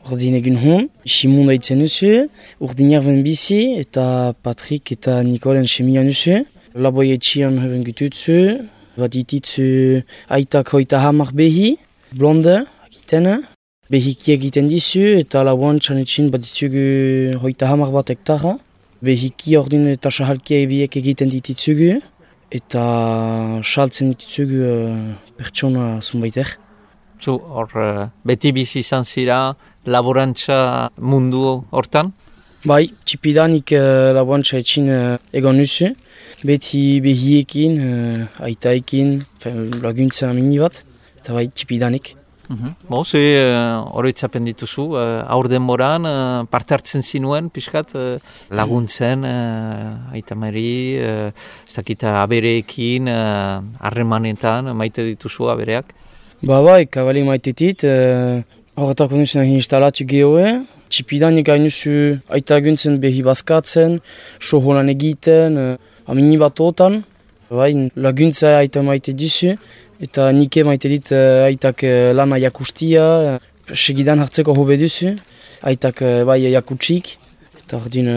ordin egin hon, Simon daitzen duzu, urdinak ben bizi, eta Patrick eta Nikolen semian duzu. Laboi etxian heben gututzu, bat ititzu aitak hoita hamar behi, blonde, akitena. Behiki egiten dizu, eta laboan txanetxin bat ditugu hoita hamar bat hektara. Behiki ordin eta sahalkia ebiek egiten dititzugu, eta saltzen dititzugu pertsona zunbaiter. Zu hor beti bizi izan zira laborantza mundu hortan? Bai, txipidanik laborantza etxin egon nuzu. Beti behiekin, aitaekin, laguntza mini bat, eta bai, txipidanik. Ze oroitzapen dituzu, aur denboran parte hartzen zinuen, pixkat, laguntzen, aitamari, ez dakita abereekin, harremanetan, maite dituzu abereak? Bai, kabali maitetit, horretako nuzen instalatu gehoe, txipidanik hainuzu aita guntzen behi bazkatzen, soholan egiten, amini bat otan, laguntza aita maite dizu, eta nike maite dit aitak lana jakustia, segidan hartzeko hobe duzu, aitak jakutsik, eta ordin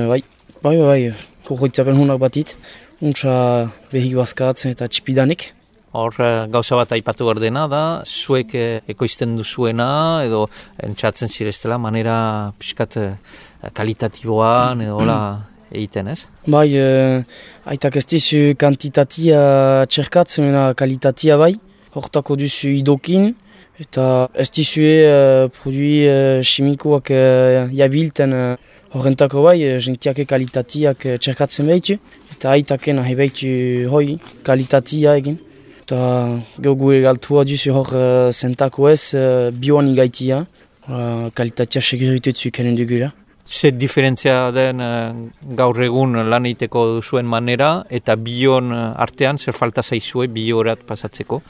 horretzapen honak batit, untsa behik bazkatzen eta txipidanik. Hor gauza bat aipatu ordena da, zuek ekoizten duzuena edo entzatzen zireztela manera pixkat kalitatiboan edo egiten, ez? Bai, aitak ez dizu kantitatia txerkatzen, kalitatia bai. Hortako duzu idokin, eta ez dizue produi chimikoak jabilten horrentako bai, jentiak kalitatiak txerkatzen behitu, eta aitaken ahi behitu hoi kalitatia egin. Eta gehu egaltua duzu hor zentako ez bioan igaitia, kalitatia seguritetzu ikanen dugula. Zer diferentzia den gaur egun lan egiteko duzuen manera eta bion artean zer falta zaizue biorat pasatzeko?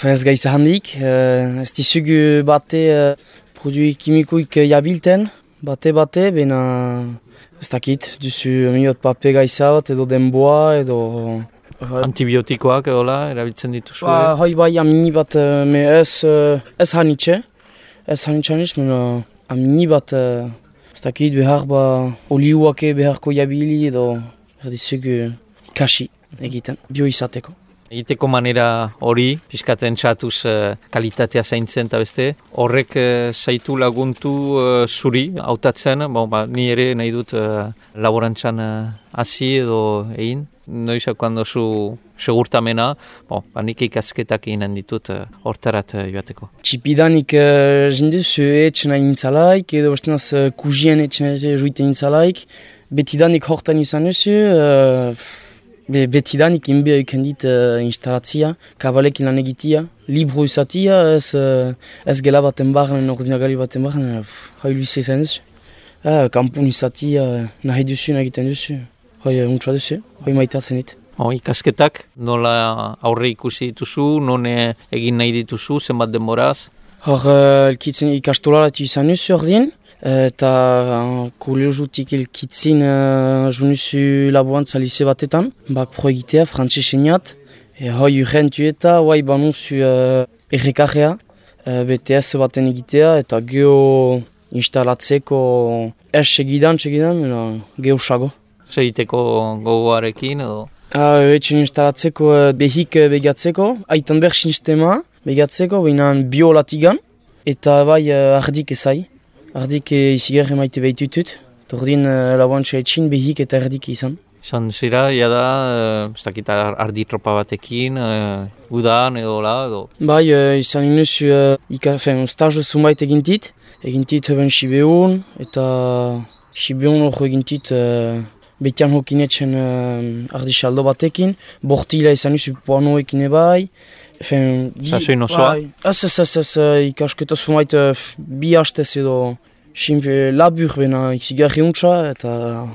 Ez gaiza handik, ez dizugu bate produi kimikoik jabilten, bate, bena ez dakit, duzu miot pape gaiza bat edo denboa edo... Antibiotikoak edo erabiltzen dituzue? Bai, amini bat, ez hanitxe, mena amini bat... Ez dakit behar oliuak beharko jabili edo dizugu ikasi egiten, bio izateko. Egiteko manera hori, pixkaten txatuz kalitatea zaintzen eta beste, horrek zaitu laguntu zuri hautatzen, ni ere nahi dut laborantzan hasi edo egin. Noizako handozu segurtamena, nik ikasketak eginen ditut hortarat joateko. Txipidanik zinduzu etxena intzalaik, edo bestenaz kuzien etxena juiten intzalaik. Betidanik hortan izan duzu, betidanik inbea ikendit instalatzia, kabalekin lan egitia, libro izatia, ez gela baten barren, ordinagali baten barren, hailu izan duzu. Kampun izatia nahi duzu, egiten duzu. Untsa duzu, maitatzen dit. Ikasketak, nola aurre ikusi dituzu, non egin nahi dituzu, zenbat denboraz? Elkitzen ikastolaratu izan duzu ordien, eta kolegiotik elkitzen junuzu laboantza lize batetan, bak pro egitea, frantxesenat, urrentu eta banuzu errekarrea, BTS baten egitea, eta geho instalatzeko segidan, geho sago. Segiteko gogoarekin edo? Etxen instalatzeko behik begatzeko, aitan behar sistema begatzeko, behinan biolatigan, eta ardik ezai. Ardik izigarri maite behitutut, tordin laboantza etxin behik eta ardik izan. Izan zira, jada, ez dakita ardi tropa batekin, udan edo? Bai, izan inuzu, stajo zumait egintit heben Sibeun, eta Sibeun hor egintit betian hokinetzen ardisaldo batekin, bortila izan izu poanoekin ebai. Zazuin osoa? Ez, ikasketa zumait bi hastez edo labur bena izigarri untsa, eta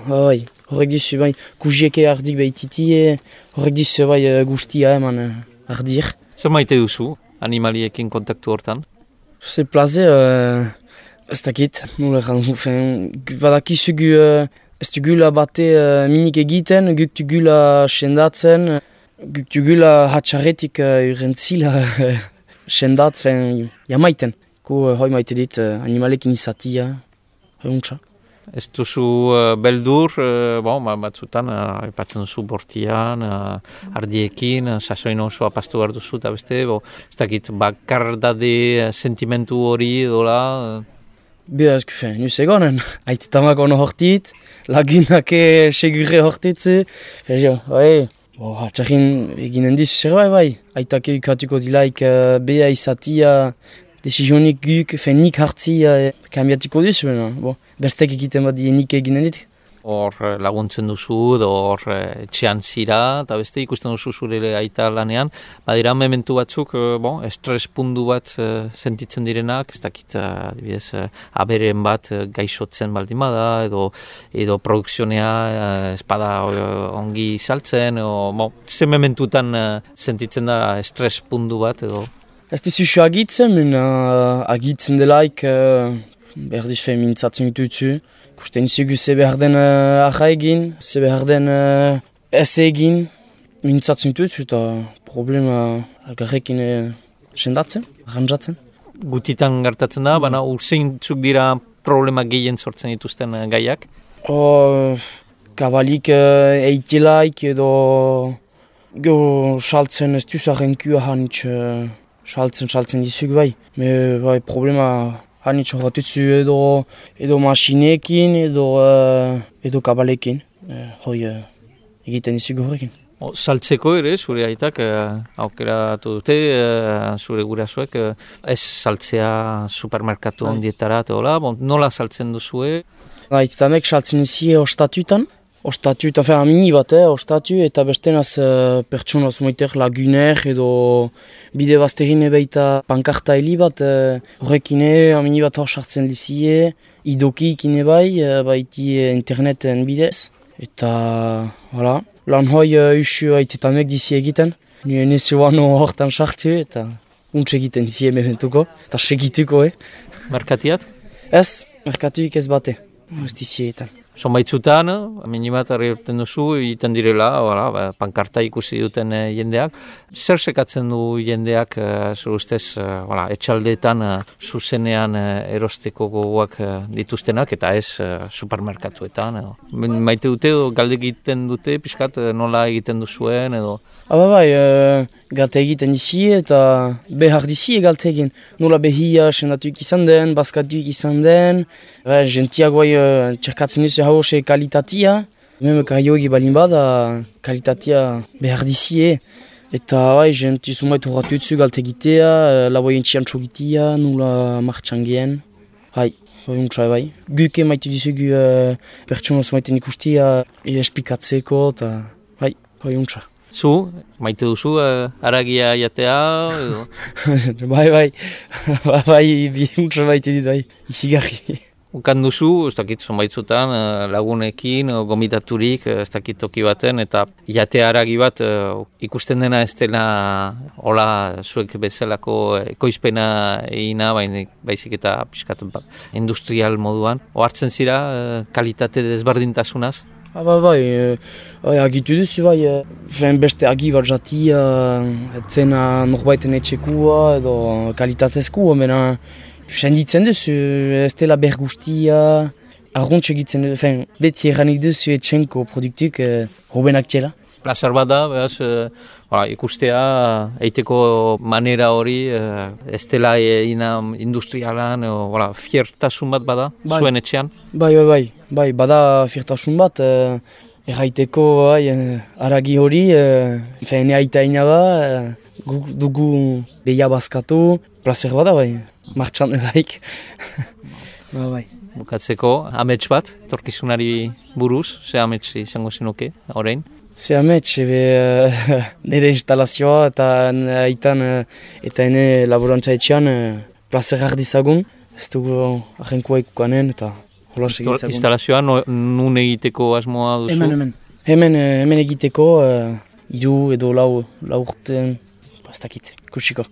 horrek dizu kuzieke ardik behititie, horrek dizu guztia eman ardir. Zer maite duzu animaliekin kontaktu hortan? Ze plaze, ez dakit, nola egan, badakizugu ez dugula bate minik egiten, guk dugula sendatzen, guk dugula hatxarretik urentzila sendatzen jamaiten. hoi maite dit, animalekin izatia, untsa. Ez duzu beldur, batzutan, epatzen duzu bortian, ardiekin, sasoin osoa pastu behar duzu, eta beste, ez dakit, bakardade sentimentu hori edola. Bia, nuz egonen, aitetamak ono hortit, lagunak segure hortitze, txakin eginen dizu zer bai, aitake ukatuko dilaik bea izatia, desizionik guk, nik hartzia, kambiatiko dizu, bestek egiten bat nik eginen dit. Hor laguntzen duzu, hor etxean zira, eta beste ikusten duzu zure aita lanean. Badira mementu batzuk, estres pundu bat sentitzen direnak, ez dakit, adibidez, aberen bat gaixotzen baldin bada, edo produkzionea espada ongi saltzen, ze mementutan sentitzen da estres pundu bat, edo? Ez duzu agitzen, agitzen delaik, berdiz mintzatzen ditutzu. Kusten izugu ze behar den aja egin, ze behar den ez egin, mintzatzen ditutzu eta problema algarrekin sendatzen, arrantzatzen. Gutitan gertatzen da, baina urzeintzuk dira problema gehien sortzen dituzten gaiak? Kabalik eitilaik edo saltzen ez duz arrenkua hanitz saltzen dizuk bai. Bai problema hanitz horretutzu edo masinekin edo kabalekin. Hoi egiten dizuk horrekin. Saltzeko ere, zure aitak aukeratu dute, zure gurasoek, ez saltzea supermerkatu ondietara, nola saltzen duzue? Aitamek saltzen izi ostatutan. Ostatu eta mini bat, ostatu eta bestenaz pertsona zumaiter laguner edo bide bazterin ebeita pankarta heli bat horrekin mini bat hor sartzen lizie, idoki ikin baiti interneten bidez. Eta, lan hoi usu aitetamek dizi egiten. Nire nesuano hortan sartu eta untse egiten dizi emeventuko eta segituko. Merkatiat? Ez, merkatuik ez bate, ez dizi egiten. Zonbaitzutan, minimat harri urten duzu, egiten direla, pankarta ikusi duten jendeak. Zer sekatzen du jendeak, zure ustez, etxaldeetan zuzenean erosteko gogoak dituztenak, eta ez supermerkatuetan. Maite dute, galde egiten dute, pixkat nola egiten duzuen, edo? Galte egiten dizi eta behar dizi galte egin. Nola behia sendatuik izan den, baskatuik izan den. Gentiagoai txerkatzen duzu hause kalitatia. Meme karioegi balin bada kalitatia behar dizi. Eta genti zumait horratu dutzu galte egitea, laboien txiantxo egitea, nola martxan gehen. Bai. Guke maitu dizugu pertsona zumaiten ikustia espikatzeko eta untsa. Zu, maite duzu, haragia jatea, edo? Bai, untsa maite dit, izigarri. Ukan duzu, ez dakit zonbaitzutan, lagunekin, gomitaturik, ez dakit toki baten, eta jatea haragi bat ikusten dena ez dela hola zuek bezalako ekoizpena egina, baizik eta piskat industrial moduan. Ohartzen zira, kalitate desberdintasunaz? Agitu duzu beste agi bat jatia, etzena norbaiten etxekua edo kalitatezkua, mena senditzen duzu, ez dela bergustia, arruntz egitzen duzu, beti erranik duzu etxenko produktuk hobenak txela. Plazar bat da, ikustea, eiteko manera hori, ez dela industrialan, fiertasun bat bada, zuen etxean? Bai, bada fiertasun bat, erraiteko haragi hori, ene aita ina da, dugu behia bazkatu, plazer bada martxan eraik. Bukatzeko, amets bat, torkizunari buruz, ze amets izango zenuke, orain? Ze amets, nire instalazioa eta aitan eta ene laborantza etxean plazer ardizagun, ez dugu ahenkoa ikukanen eta hola segitzagun. Instalazioa nun egiteko asmoa duzu? Hemen egiteko, 3 edo 4 urten, ez dakit, kusiko.